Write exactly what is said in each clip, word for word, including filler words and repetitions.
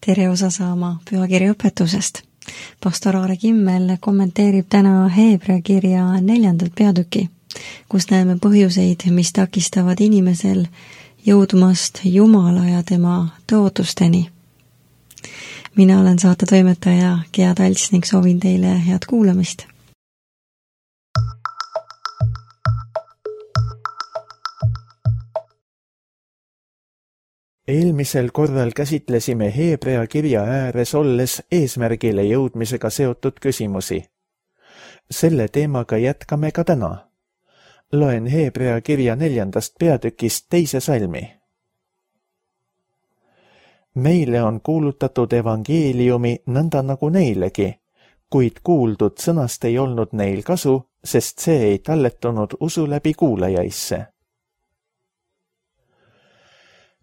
tere osa saama pühakirja õpetusest. Pastor Aare Kimmel kommenteerib täna Heebrea kirja neljandat peatüki, kus näeme põhjuseid, mis takistavad inimesel jõudmast Jumala ja tema tõotusteni. Mina olen saate toimetaja Gea Talts ning soovin teile head kuulamist. Eelmisel korral käsitlesime Heebrea kirja ääres olles eesmärgile jõudmisega seotud küsimusi. Selle teemaga jätkame ka täna. Loen Heebrea kirja neljandast peatükist teise salmi. Meile on kuulutatud evangeeliumi nõnda nagu neilegi, kuid kuuldud sõnast ei olnud neil kasu, sest see ei talletunud usu läbi kuulajaisse.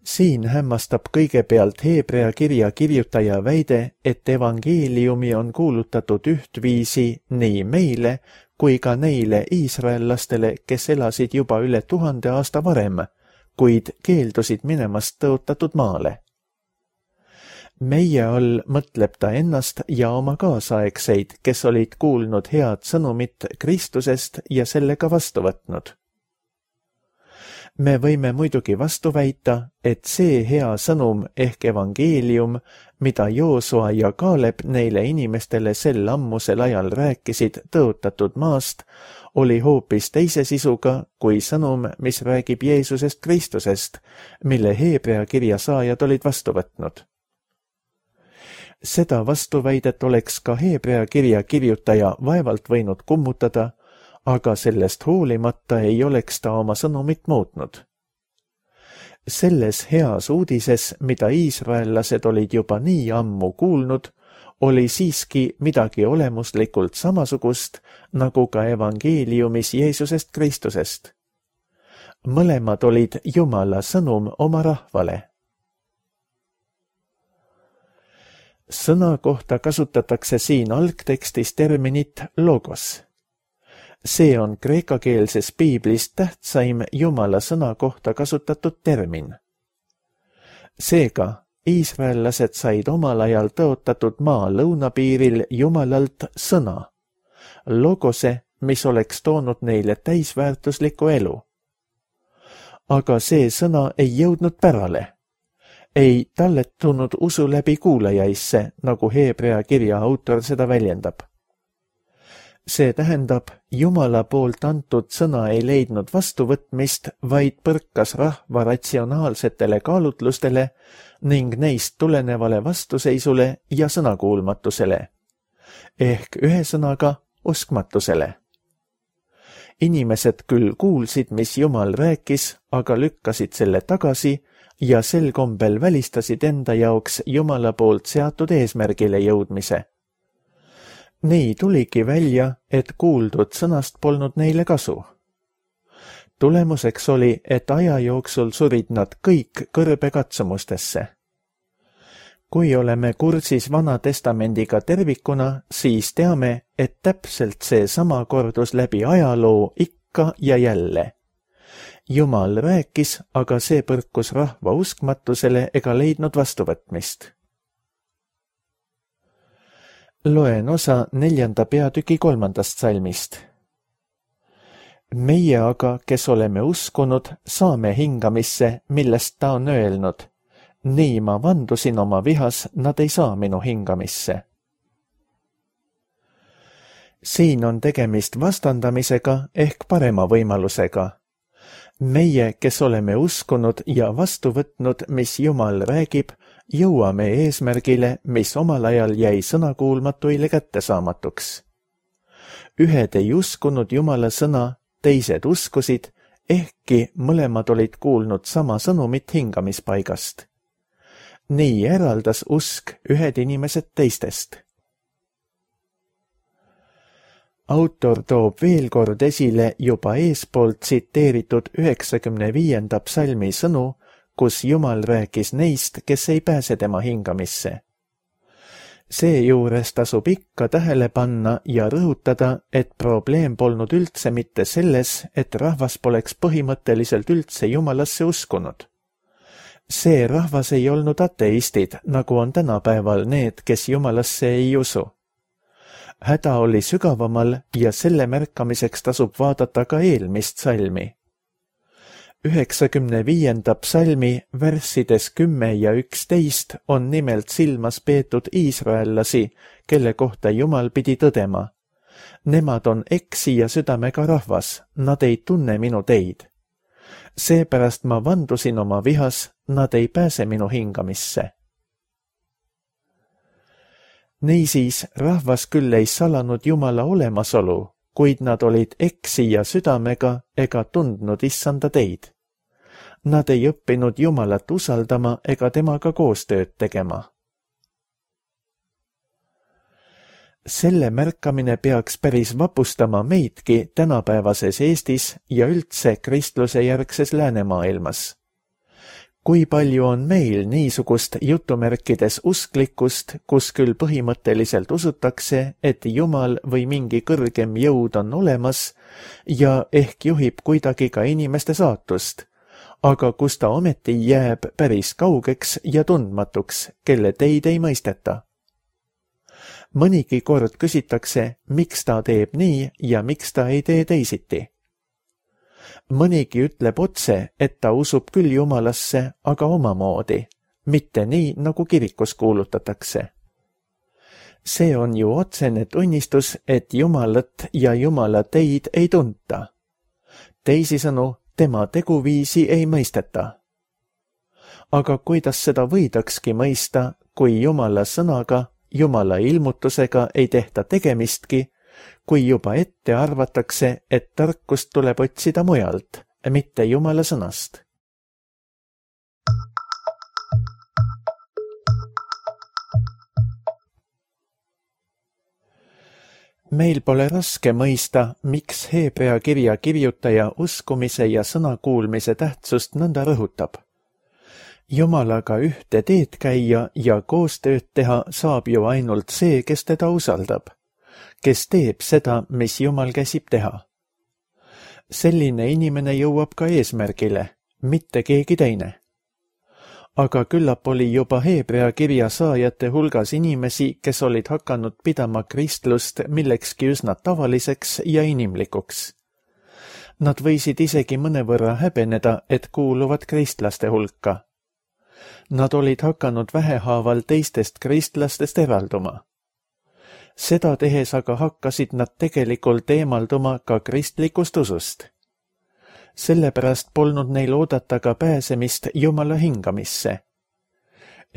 Siin hämmastab kõigepealt Heebrea kirja kirjutaja väide, et evangeeliumi on kuulutatud ühtviisi nii meile kui ka neile iisraellastele, kes elasid juba üle tuhande aasta varem, kuid keeldusid minemast tõotatud maale. Meie all mõtleb ta ennast ja oma kaasaegseid, kes olid kuulnud head sõnumit Kristusest ja sellega vastu võtnud. Me võime muidugi vastu väita, et see hea sõnum ehk evangeelium, mida Joosua ja Kaaleb neile inimestele sel ammusel ajal rääkisid tõotatud maast, oli hoopis teise sisuga kui sõnum, mis räägib Jeesusest Kristusest, mille Heebrea kirja saajad olid vastu võtnud. Seda vastuväidet oleks ka Heebrea kirja kirjutaja vaevalt võinud kummutada, aga sellest hoolimata ei oleks ta oma sõnumit muutnud. Selles heas uudises, mida iisraellased olid juba nii ammu kuulnud, oli siiski midagi olemuslikult samasugust, nagu ka evangeeliumis Jeesusest Kristusest. Mõlemad olid Jumala sõnum oma rahvale. Sõna kohta kasutatakse siin algtekstis terminit logos. See on kreekakeelses piiblis tähtsaim Jumala sõna kohta kasutatud termin. Seega, iisraellased said omal ajal tõotatud maa lõunapiiril Jumalalt sõna, logose, mis oleks toonud neile täisväärtuslikku elu. Aga see sõna ei jõudnud pärale, ei talletunud usu läbi kuulajaisse, nagu Heebrea kirja autor seda väljendab. See tähendab, Jumala poolt antud sõna ei leidnud vastuvõtmist, vaid põrkas rahva ratsionaalsetele kaalutlustele ning neist tulenevale vastuseisule ja sõnakuulmatusele, ehk ühesõnaga uskmatusele. Inimesed küll kuulsid, mis Jumal rääkis, aga lükkasid selle tagasi ja sel kombel välistasid enda jaoks Jumala poolt seatud eesmärgile jõudmise. Nii tuligi välja, et kuuldud sõnast polnud neile kasu. Tulemuseks oli, et aja jooksul surid nad kõik kõrbekatsumustesse. Kui oleme kursis Vana Testamendiga tervikuna, siis teame, et täpselt see sama kordus läbi ajaloo ikka ja jälle. Jumal rääkis, aga see põrkus rahva uskmatusele ega leidnud vastuvõtmist. Loen osa neljanda peatüki kolmandast salmist. Meie aga, kes oleme uskunud, saame hingamisse, millest ta on öelnud. Nii ma vandusin oma vihas, nad ei saa minu hingamisse. Siin on tegemist vastandamisega ehk parema võimalusega. Meie, kes oleme uskunud ja vastu võtnud, mis Jumal räägib, jõuame eesmärgile, mis omal ajal jäi sõnakuulmatuile kättesaamatuks. Ühed ei uskunud Jumala sõna, teised uskusid, ehkki mõlemad olid kuulnud sama sõnumit hingamispaigast. Nii eraldas usk ühed inimesed teistest. Autor toob veel kord esile juba eespoolt tsiteeritud üheksakümne viienda psalmi sõnu, kus Jumal rääkis neist, kes ei pääse tema hingamisse. Seejuures tasub ikka tähele panna ja rõhutada, et probleem polnud üldse mitte selles, et rahvas poleks põhimõtteliselt üldse Jumalasse uskunud. See rahvas ei olnud ateistid, nagu on tänapäeval need, kes Jumalasse ei usu. Häda oli sügavamal ja selle märkamiseks tasub vaadata ka eelmist salmi. üheksakümne viienda psalmi värssides kümme ja üksteist on nimelt silmas peetud iisraellasi, kelle kohta Jumal pidi tõdema. Nemad on eksija südamega rahvas, nad ei tunne minu teid. Seepärast ma vandusin oma vihas, nad ei pääse minu hingamisse. Niisiis, rahvas küll ei salanud Jumala olemasolu, kuid nad olid eksija südamega ega tundnud issanda teid. Nad ei õppinud Jumalat usaldama ega temaga koostööd tegema. Selle märkamine peaks päris vapustama meidki tänapäevases Eestis ja üldse kristluse järgses läänemaailmas. Kui palju on meil niisugust jutumärkides usklikkust, kus küll põhimõtteliselt usutakse, et Jumal või mingi kõrgem jõud on olemas ja ehk juhib kuidagi ka inimeste saatust, aga kus ta ometi jääb päris kaugeks ja tundmatuks, kelle teid ei mõisteta. Mõnigi kord küsitakse, miks ta teeb nii ja miks ta ei tee teisiti. Mõnigi ütleb otse, et ta usub küll Jumalasse, aga omamoodi, mitte nii, nagu kirikus kuulutatakse. See on ju otsene tunnistus, et Jumalat ja Jumala teid ei tunta. Teisisõnu, tema teguviisi ei mõisteta. Aga kuidas seda võidakski mõista, kui Jumala sõnaga, Jumala ilmutusega ei tehta tegemistki, kui juba ette arvatakse, et tarkust tuleb otsida mujalt, mitte Jumala sõnast? Meil pole raske mõista, miks Heebrea kirja kirjutaja uskumise ja sõnakuulmise tähtsust nõnda rõhutab. Jumalaga ühte teed käia ja koostööd teha saab ju ainult see, kes teda usaldab, kes teeb seda, mis Jumal käsib teha. Selline inimene jõuab ka eesmärgile, mitte keegi teine. Aga küllap oli juba Heebrea kirja saajate hulgas inimesi, kes olid hakanud pidama kristlust millekski üsna tavaliseks ja inimlikuks. Nad võisid isegi mõnevõrra häbeneda, et kuuluvad kristlaste hulka. Nad olid hakanud vähehaaval teistest kristlastest eralduma. Seda tehes aga hakkasid nad tegelikult eemalduma ka kristlikust usust. Sellepärast polnud neil oodata ka pääsemist Jumala hingamisse.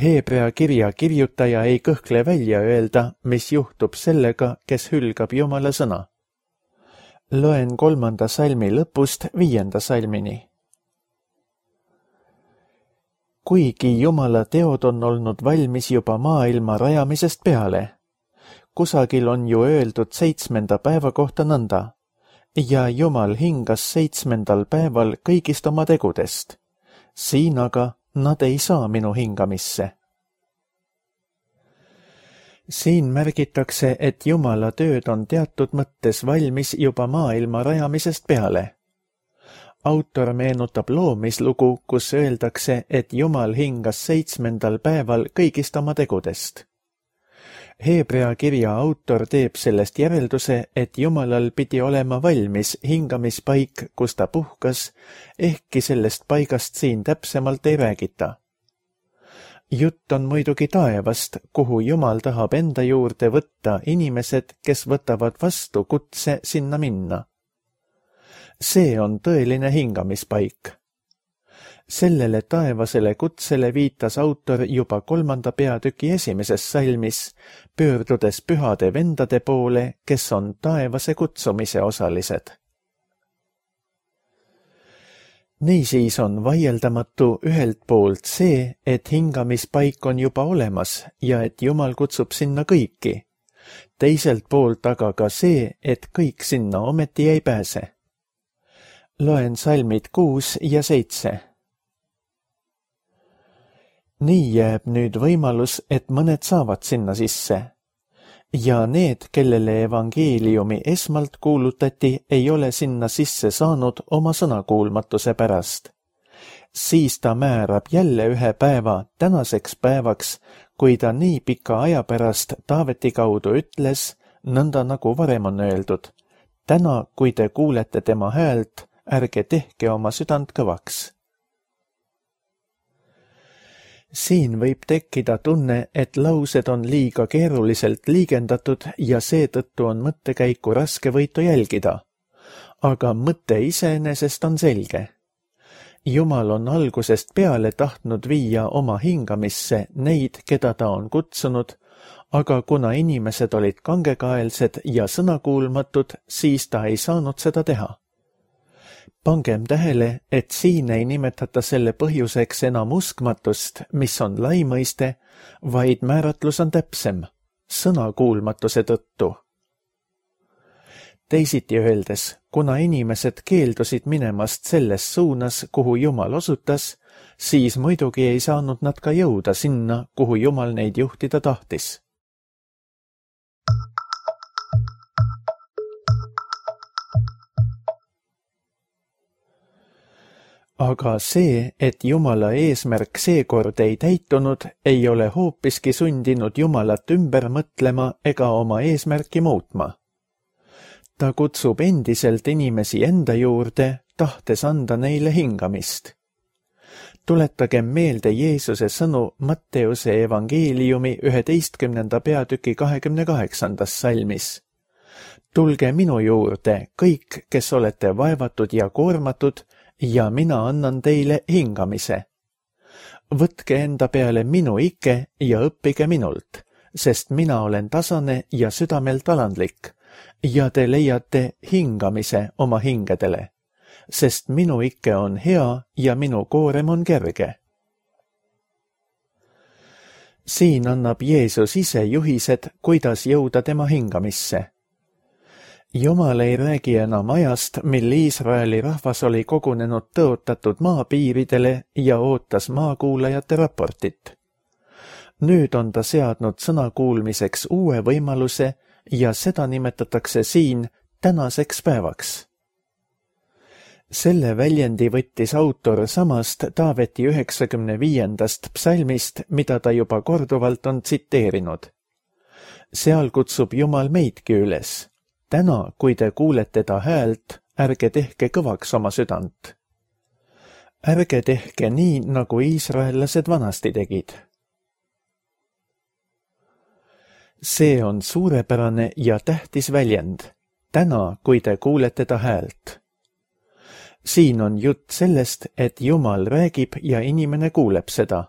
Heebrea kirja kirjutaja ei kõhkle välja öelda, mis juhtub sellega, kes hülgab Jumala sõna. Loen kolmanda salmi lõpust viienda salmini. Kuigi Jumala teod on olnud valmis juba maailma rajamisest peale, kusagil on ju öeldud seitsmenda päeva kohta nõnda, ja Jumal hingas seitsmendal päeval kõigist oma tegudest. Siin aga nad ei saa minu hingamisse. Siin märgitakse, et Jumala tööd on teatud mõttes valmis juba maailma rajamisest peale. Autor meenutab loomislugu, kus öeldakse, et Jumal hingas seitsmendal päeval kõigist oma tegudest. Heebrea kirja autor teeb sellest järelduse, et Jumalal pidi olema valmis hingamispaik, kus ta puhkas, ehkki sellest paigast siin täpsemalt ei räägita. Jutt on muidugi taevast, kuhu Jumal tahab enda juurde võtta inimesed, kes võtavad vastu kutse sinna minna. See on tõeline hingamispaik. Sellele taevasele kutsele viitas autor juba kolmanda peatüki esimeses salmis, pöördudes pühade vendade poole, kes on taevase kutsumise osalised. Niisiis on vaieldamatu ühelt poolt see, et hingamispaik on juba olemas ja et Jumal kutsub sinna kõiki. Teiselt poolt aga ka see, et kõik sinna ometi ei pääse. Loen salmid kuus ja seitse. Nii jääb nüüd võimalus, et mõned saavad sinna sisse. Ja need, kellele evangeeliumi esmalt kuulutati, ei ole sinna sisse saanud oma sõnakuulmatuse pärast. siis ta määrab jälle ühe päeva tänaseks päevaks, kui ta nii pika aja pärast Taaveti kaudu ütles, nõnda nagu varem on öeldud. Täna, kui te kuulete tema häält, ärge tehke oma südant kõvaks. Siin võib tekkida tunne, et laused on liiga keeruliselt liigendatud ja seetõttu on mõttekäiku raske võitu jälgida. Aga mõte iseenesest on selge. Jumal on algusest peale tahtnud viia oma hingamisse neid, keda ta on kutsunud, aga kuna inimesed olid kangekaelsed ja sõnakuulmatud, siis ta ei saanud seda teha. Pangem tähele, et siin ei nimetata selle põhjuseks enam uskmatust, mis on lai mõiste, vaid määratlus on täpsem, sõnakuulmatuse tõttu. Teisiti öeldes, kuna inimesed keeldusid minemast selles suunas, kuhu Jumal osutas, siis muidugi ei saanud nad ka jõuda sinna, kuhu Jumal neid juhtida tahtis. Aga see, et Jumala eesmärk seekord ei täitunud, ei ole hoopiski sundinud Jumalat ümber mõtlema ega oma eesmärki muutma. Ta kutsub endiselt inimesi enda juurde, tahtes anda neile hingamist. Tuletagem meelde Jeesuse sõnu Matteuse evangeeliumi üheteistkümnenda peatüki kahekümne kaheksandas salmis. Tulge minu juurde, kõik, kes olete vaevatud ja koormatud, ja mina annan teile hingamise. Võtke enda peale minu ike ja õppige minult, sest mina olen tasane ja südamelt alandlik, ja te leiate hingamise oma hingedele, sest minu ike on hea ja minu koorem on kerge. Siin annab Jeesus ise juhised, kuidas jõuda tema hingamisse. Jumal ei räägi enam ajast, mil Iisraeli rahvas oli kogunenud tõotatud maapiiridele ja ootas maakuulajate raportit. Nüüd on ta seadnud sõna kuulmiseks uue võimaluse ja seda nimetatakse siin tänaseks päevaks. Selle väljendi võttis autor samast Taaveti üheksakümne viiendast psalmist, mida ta juba korduvalt on tsiteerinud. Seal kutsub Jumal meidki üles. Täna, kui te kuulete ta häält, ärge tehke kõvaks oma südant. Ärge tehke nii, nagu iisraellased vanasti tegid. See on suurepärane ja tähtis väljend. Täna, kui te kuulete ta häält. Siin on jutt sellest, et Jumal räägib ja inimene kuuleb seda.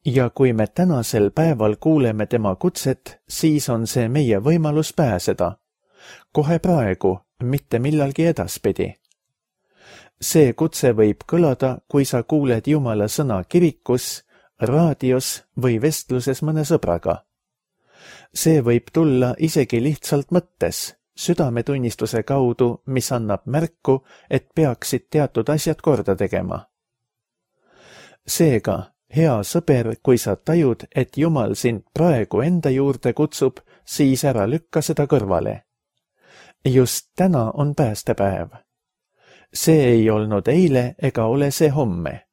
Ja kui me tänasel päeval kuuleme tema kutset, siis on see meie võimalus pääseda. Kohe praegu, mitte millalgi edaspidi. See kutse võib kõlada, kui sa kuuled Jumala sõna kirikus, raadios või vestluses mõne sõbraga. See võib tulla isegi lihtsalt mõttes, südametunnistuse kaudu, mis annab märku, et peaksid teatud asjad korda tegema. Seega, hea sõber, kui sa tajud, et Jumal sind praegu enda juurde kutsub, siis ära lükka seda kõrvale. Just täna on päästepäev. See ei olnud eile ega ole see homme.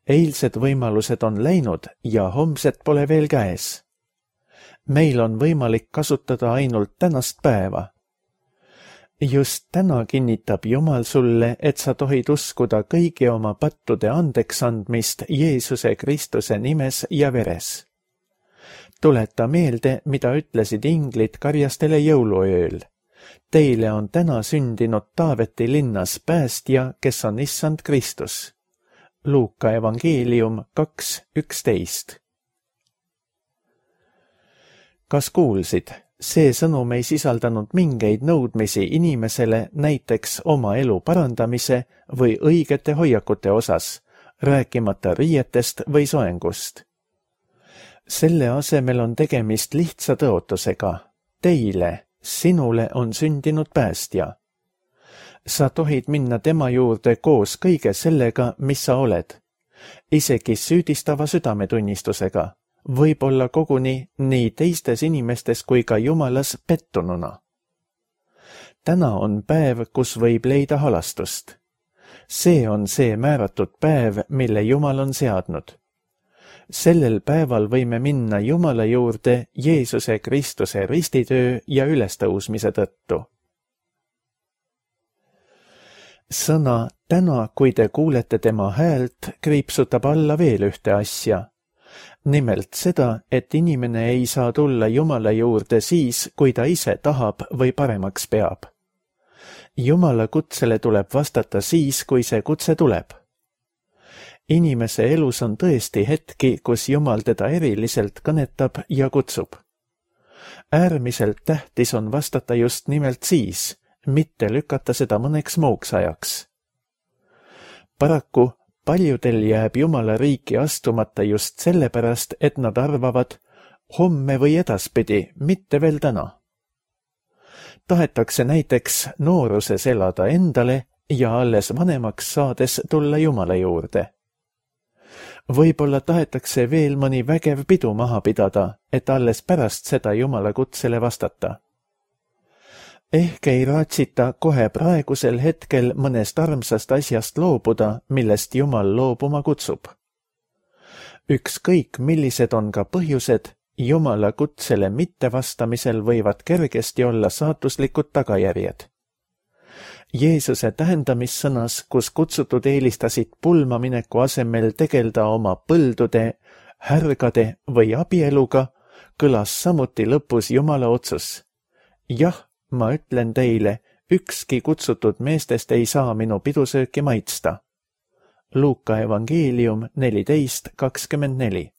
Eilsed võimalused on läinud ja homsed pole veel käes. Meil on võimalik kasutada ainult tänast päeva. Just täna kinnitab Jumal sulle, et sa tohid uskuda kõigi oma pattude andeks andmist Jeesuse Kristuse nimes ja veres. Tuleta meelde, mida ütlesid inglid karjastele jõuluööl. Teile on täna sündinud Taaveti linnas päästja, kes on issand Kristus. Luuka evangeelium kaks üksteist. Kas kuulsid? See sõnum ei sisaldanud mingeid nõudmisi inimesele näiteks oma elu parandamise või õigete hoiakute osas, rääkimata riietest või soengust. Selle asemel on tegemist lihtsa tõotusega. Teile, sinule on sündinud päästja. Sa tohid minna tema juurde koos kõige sellega, mis sa oled, isegi süüdistava südametunnistusega, võib-olla koguni nii teistes inimestes kui ka Jumalas pettununa. Täna on päev, kus võib leida halastust. see on see määratud päev, mille Jumal on seadnud. Sellel päeval võime minna Jumala juurde Jeesuse Kristuse ristitöö ja ülestõusmise tõttu. Sõna täna, kui te kuulete tema häält, kriipsutab alla veel ühte asja. Nimelt seda, et inimene ei saa tulla Jumala juurde siis, kui ta ise tahab või paremaks peab. Jumala kutsele tuleb vastata siis, kui see kutse tuleb. Inimese elus on tõesti hetki, kus Jumal teda eriliselt kõnetab ja kutsub. Äärmiselt tähtis on vastata just nimelt siis, mitte lükata seda mõneks muuks ajaks. Paraku paljudel jääb Jumala riiki astumata just sellepärast, et nad arvavad homme või edaspidi, mitte veel täna. Tahetakse näiteks nooruses elada endale ja alles vanemaks saades tulla Jumala juurde. Võib-olla tahetakse veel mõni vägev pidu maha pidada, et alles pärast seda Jumala kutsele vastata. Ehk ei raatsita kohe praegusel hetkel mõnest armsast asjast loobuda, millest Jumal loobuma kutsub. Ükskõik, millised on ka põhjused, Jumala kutsele mittevastamisel võivad kergesti olla saatuslikud tagajärjed. Jeesuse tähendamissõnas, kus kutsutud eelistasid pulmamineku asemel tegelda oma põldude, härgade või abieluga, kõlas samuti lõpus Jumala otsus. Jah, ma ütlen teile, ükski kutsutud meestest ei saa minu pidusööki maitsta. Luuka evangeelium neliteist kakskümmend neli.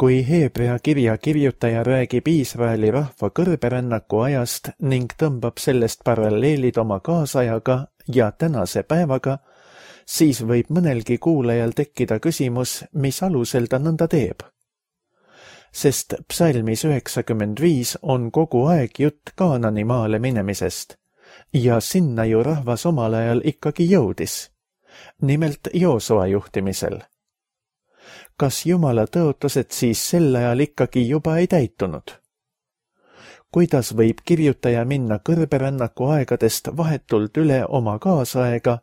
Kui Heebrea kirja kirjutaja räägib Iisraeli rahva kõrberännaku ajast ning tõmbab sellest paralleelid oma kaasajaga ja tänase päevaga, siis võib mõnelgi kuulajal tekkida küsimus, mis alusel ta nõnda teeb. Sest psalmis üheksakümmend viis on kogu aeg jutt Kaanani maale minemisest ja sinna ju rahvas omal ajal ikkagi jõudis, nimelt Joosua juhtimisel. Kas Jumala tõotused siis sel ajal ikkagi juba ei täitunud? Kuidas võib kirjutaja minna kõrberännaku aegadest vahetult üle oma kaasaega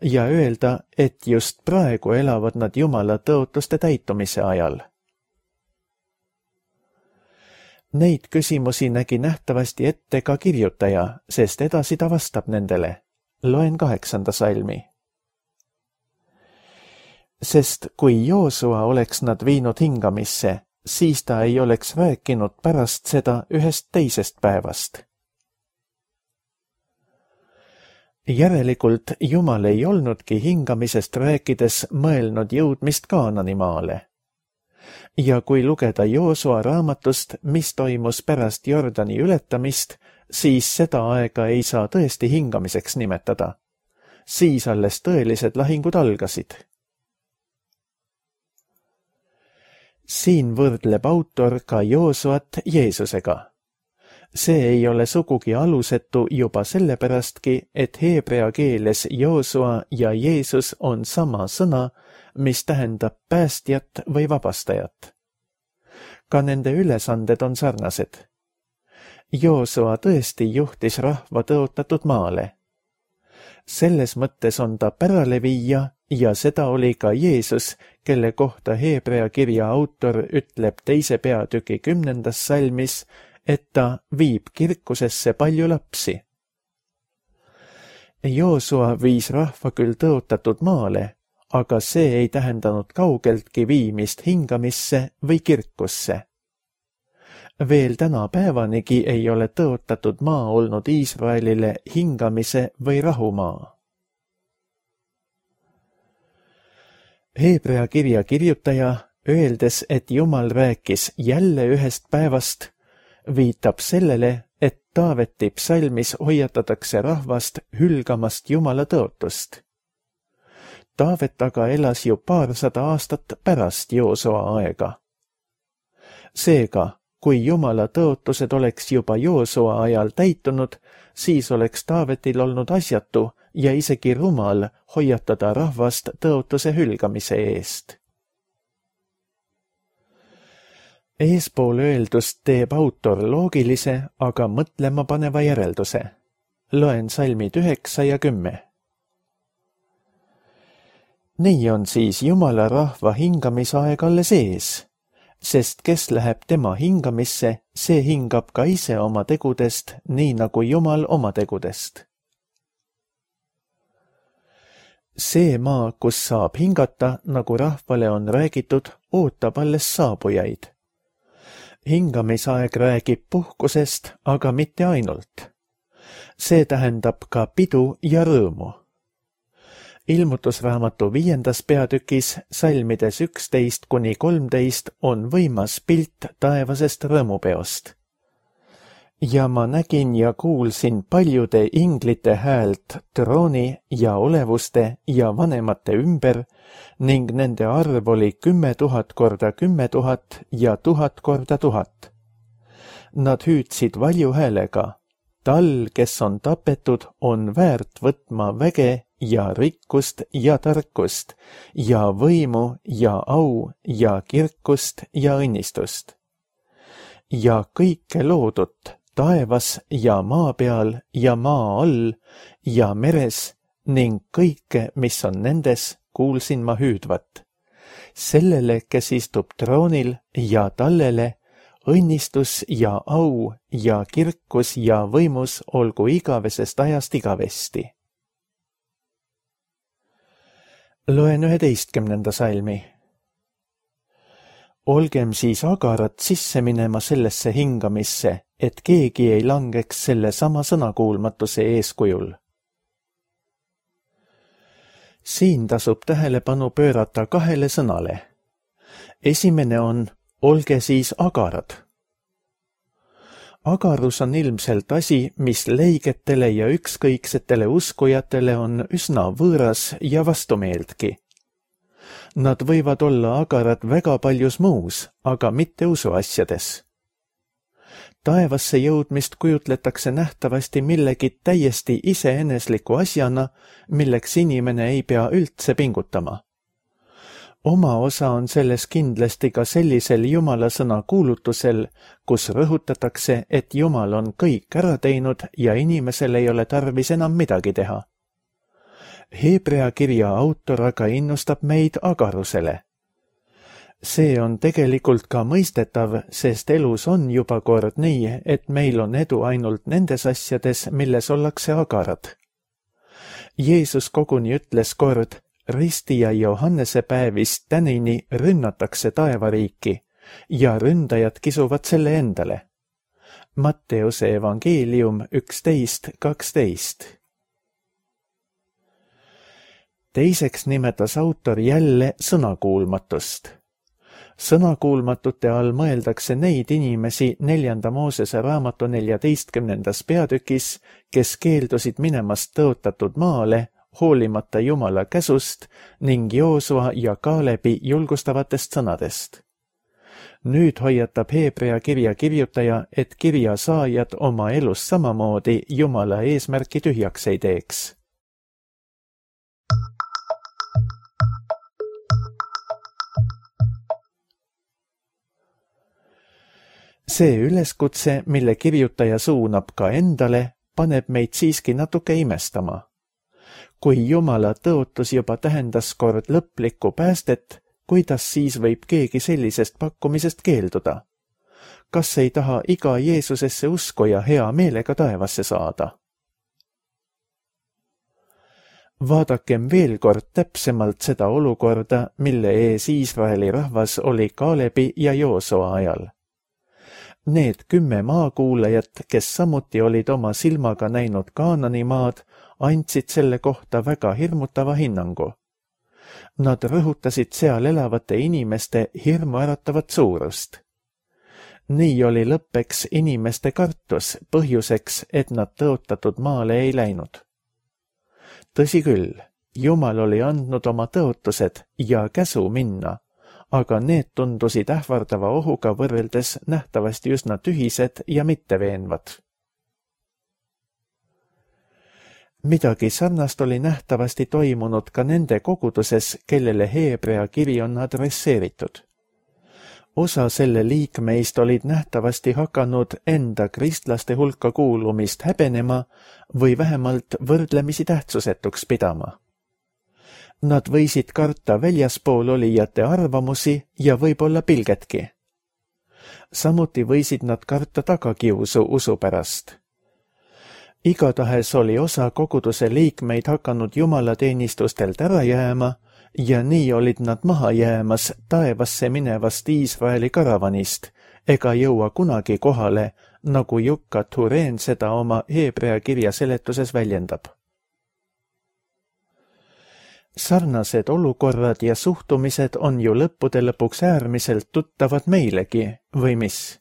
ja öelda, et just praegu elavad nad Jumala tõotuste täitumise ajal? Neid küsimusi nägi nähtavasti ette ka kirjutaja, sest edasi ta vastab nendele. Loen kaheksanda salmi. Sest kui Joosua oleks nad viinud hingamisse, siis ta ei oleks rääkinud pärast seda ühest teisest päevast. Järelikult Jumal ei olnudki hingamisest rääkides mõelnud jõudmist Kaanani maale. Ja kui lugeda Joosua raamatust, mis toimus pärast Jordani ületamist, siis seda aega ei saa tõesti hingamiseks nimetada. Siis alles tõelised lahingud algasid. Siin võrdleb autor ka Joosuat Jeesusega. See ei ole sugugi alusetu juba sellepärastki, et heebrea keeles Joosua ja Jeesus on sama sõna, mis tähendab päästjat või vabastajat. Ka nende ülesanded on sarnased. Joosua tõesti juhtis rahva tõotatud maale. Selles mõttes on ta päraleviija ja seda oli ka Jeesus, kelle kohta Heebrea kirja autor ütleb teise peatüki kümnendas salmis, et ta viib kirkusesse palju lapsi. Joosua viis rahva küll tõotatud maale, aga see ei tähendanud kaugeltki viimist hingamisse või kirkusse. Veel tänapäevanigi ei ole tõotatud maa olnud Iisraelile hingamise või rahumaa. Heebrea kirja kirjutaja, öeldes, et Jumal rääkis jälle ühest päevast, viitab sellele, et Taaveti psalmis hoiatatakse rahvast hülgamast Jumala tõotust. Taavet aga elas ju paarsada aastat pärast Joosua aega. Seega, kui Jumala tõotused oleks juba Joosua ajal täitunud, siis oleks Taavetil olnud asjatu ja isegi rumal hoiatada rahvast tõotuse hülgamise eest. Eespool öeldust teeb autor loogilise, aga mõtlema paneva järelduse. Loen salmid üheksa ja kümme. Nii on siis Jumala rahva hingamisaeg alles ees, sest kes läheb tema hingamisse, see hingab ka ise oma tegudest, nii nagu Jumal oma tegudest. See maa, kus saab hingata, nagu rahvale on räägitud, ootab alles saabujaid. Hingamisaeg räägib puhkusest, aga mitte ainult. See tähendab ka pidu ja rõõmu. Ilmutusraamatu viiendas peatükis, salmides üksteist kuni kolmteist on võimas pilt taevasest rõõmupeost. Ja ma nägin ja kuulsin paljude inglite häält trooni ja olevuste ja vanemate ümber ning nende arv oli kümme tuhat korda kümme tuhat ja tuhat korda tuhat. Nad hüüdsid valju häälega, tal, kes on tapetud, on väärt võtma väge ja rikkust ja tarkust ja võimu ja au ja kirkust ja õnnistust. Ja kõike loodut taevas ja maa peal ja maa all ja meres ning kõike, mis on nendes, kuulsin ma hüüdvat. Sellele, kes istub troonil ja tallele, õnnistus ja au ja kirkus ja võimus olgu igavesest ajast igavesti. Loen üheteistkümnenda salmi. Olgem siis agarad sisse minema sellesse hingamisse, et keegi ei langeks selle sama sõnakuulmatuse eeskujul. Siin tasub tähelepanu pöörata kahele sõnale. Esimene on, olge siis agarad. Agarus on ilmselt asi, mis leigetele ja ükskõiksetele uskujatele on üsna võõras ja vastumeeldki. Nad võivad olla agarad väga paljus muus, aga mitte usuasjades. Taevasse jõudmist kujutletakse nähtavasti millegi täiesti iseenesliku asjana, milleks inimene ei pea üldse pingutama. Oma osa on selles kindlasti ka sellisel Jumala sõna kuulutusel, kus rõhutatakse, et Jumal on kõik ära teinud ja inimesel ei ole tarvis enam midagi teha. Hebrea kirja autor aga innustab meid agarusele. See on tegelikult ka mõistetav, sest elus on juba kord nii, et meil on edu ainult nendes asjades, milles ollakse agarad. Jeesus koguni ütles kord, risti ja Johannese päevist tänini rünnatakse taevariiki ja ründajad kisuvad selle endale. Matteuse evangeelium üksteist kaksteist. Teiseks nimetas autor jälle sõnakuulmatust. Sõnakuulmatute all mõeldakse neid inimesi neljanda Moosese raamatu neljateistkümnendas peatükis, kes keeldusid minemast tõotatud maale, hoolimata Jumala käsust ning Joosua ja Kaalebi julgustavatest sõnadest. Nüüd hoiatab Hebrea kirja kirjutaja, et kirja saajad oma elus samamoodi Jumala eesmärki tühjaks ei teeks. See üleskutse, mille kirjutaja suunab ka endale, paneb meid siiski natuke imestama. Kui Jumala tõotus juba tähendas kord lõplikku päästet, kuidas siis võib keegi sellisest pakkumisest keelduda? Kas ei taha iga Jeesusesse uskuja hea meelega taevasse saada? Vaadakem veel kord täpsemalt seda olukorda, mille ees Iisraeli rahvas oli Kaalebi ja Joosua ajal. Need kümme maakuulajat, kes samuti olid oma silmaga näinud Kaanani maad, andsid selle kohta väga hirmutava hinnangu. Nad rõhutasid seal elavate inimeste hirmuäratavat suurust. Nii oli lõppeks inimeste kartus põhjuseks, et nad tõotatud maale ei läinud. Tõsi küll, Jumal oli andnud oma tõotused ja käsu minna, aga need tundusid ähvardava ohuga võrreldes nähtavasti üsna tühised ja mitteveenvad. Midagi sarnast oli nähtavasti toimunud ka nende koguduses, kellele Hebrea kiri on adresseeritud. osa selle liikmeist olid nähtavasti hakanud enda kristlaste hulka kuulumist häbenema või vähemalt võrdlemisi tähtsusetuks pidama. Nad võisid karta väljaspool olijate arvamusi ja võib-olla pilgetki. Samuti võisid nad karta tagakiusu usu pärast. Igatahes oli osa koguduse liikmeid hakanud jumalateenistustelt ära jääma ja nii olid nad maha jäämas taevasse minevast Iisraeli karavanist ega jõua kunagi kohale, nagu Jukka Tureen seda oma Heebrea kirja seletuses väljendab. Sarnased olukorrad ja suhtumised on ju lõppude lõpuks äärmiselt tuttavad meilegi, või mis?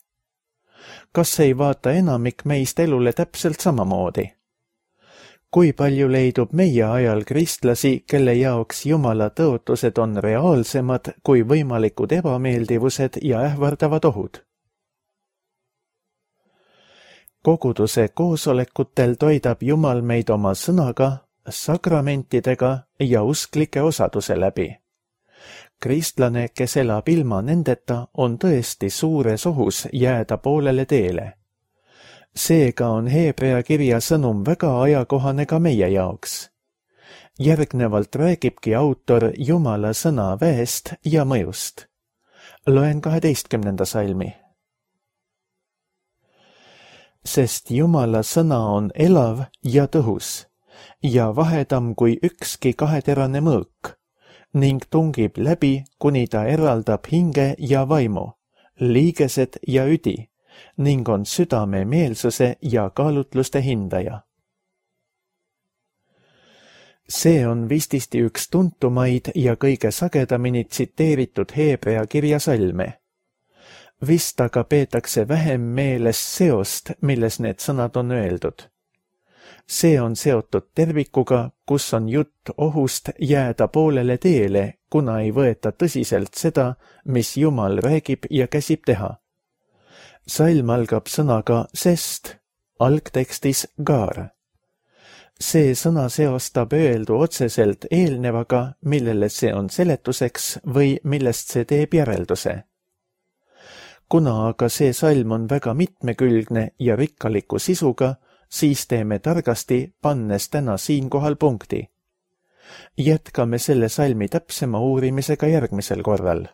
Kas ei vaata enamik meist elule täpselt samamoodi? Kui palju leidub meie ajal kristlasi, kelle jaoks Jumala tõotused on reaalsemad kui võimalikud ebameeldivused ja ähvardavad ohud? Koguduse koosolekutel toidab Jumal meid oma sõnaga, sakramentidega ja usklike osaduse läbi. Kristlane, kes elab ilma nendeta, on tõesti suures ohus jääda poolele teele. Seega on Heebrea kirja sõnum väga ajakohane ka meie jaoks. Järgnevalt räägibki autor Jumala sõna väest ja mõjust. Loen kaheteistkümnenda salmi. Sest Jumala sõna on elav ja tõhus ja vahedam kui ükski kaheterane mõõk ning tungib läbi, kuni ta eraldab hinge ja vaimu, liigesed ja üdi ning on südame meelsuse ja kaalutluste hindaja. See on vististi üks tuntumaid ja kõige sagedamini tsiteeritud Heebrea kirja salme. Vist aga peetakse vähem meeles seost, milles need sõnad on öeldud. See on seotud tervikuga, kus on jutt ohust jääda poolele teele, kuna ei võeta tõsiselt seda, mis Jumal räägib ja käsib teha. Salm algab sõnaga sest, algtekstis gaar. See sõna seostab öeldu otseselt eelnevaga, millele see on seletuseks või millest see teeb järelduse. Kuna aga see salm on väga mitmekülgne ja rikkaliku sisuga, siis teeme targasti, pannes täna siinkohal punkti. Jätkame selle salmi täpsema uurimisega järgmisel korral.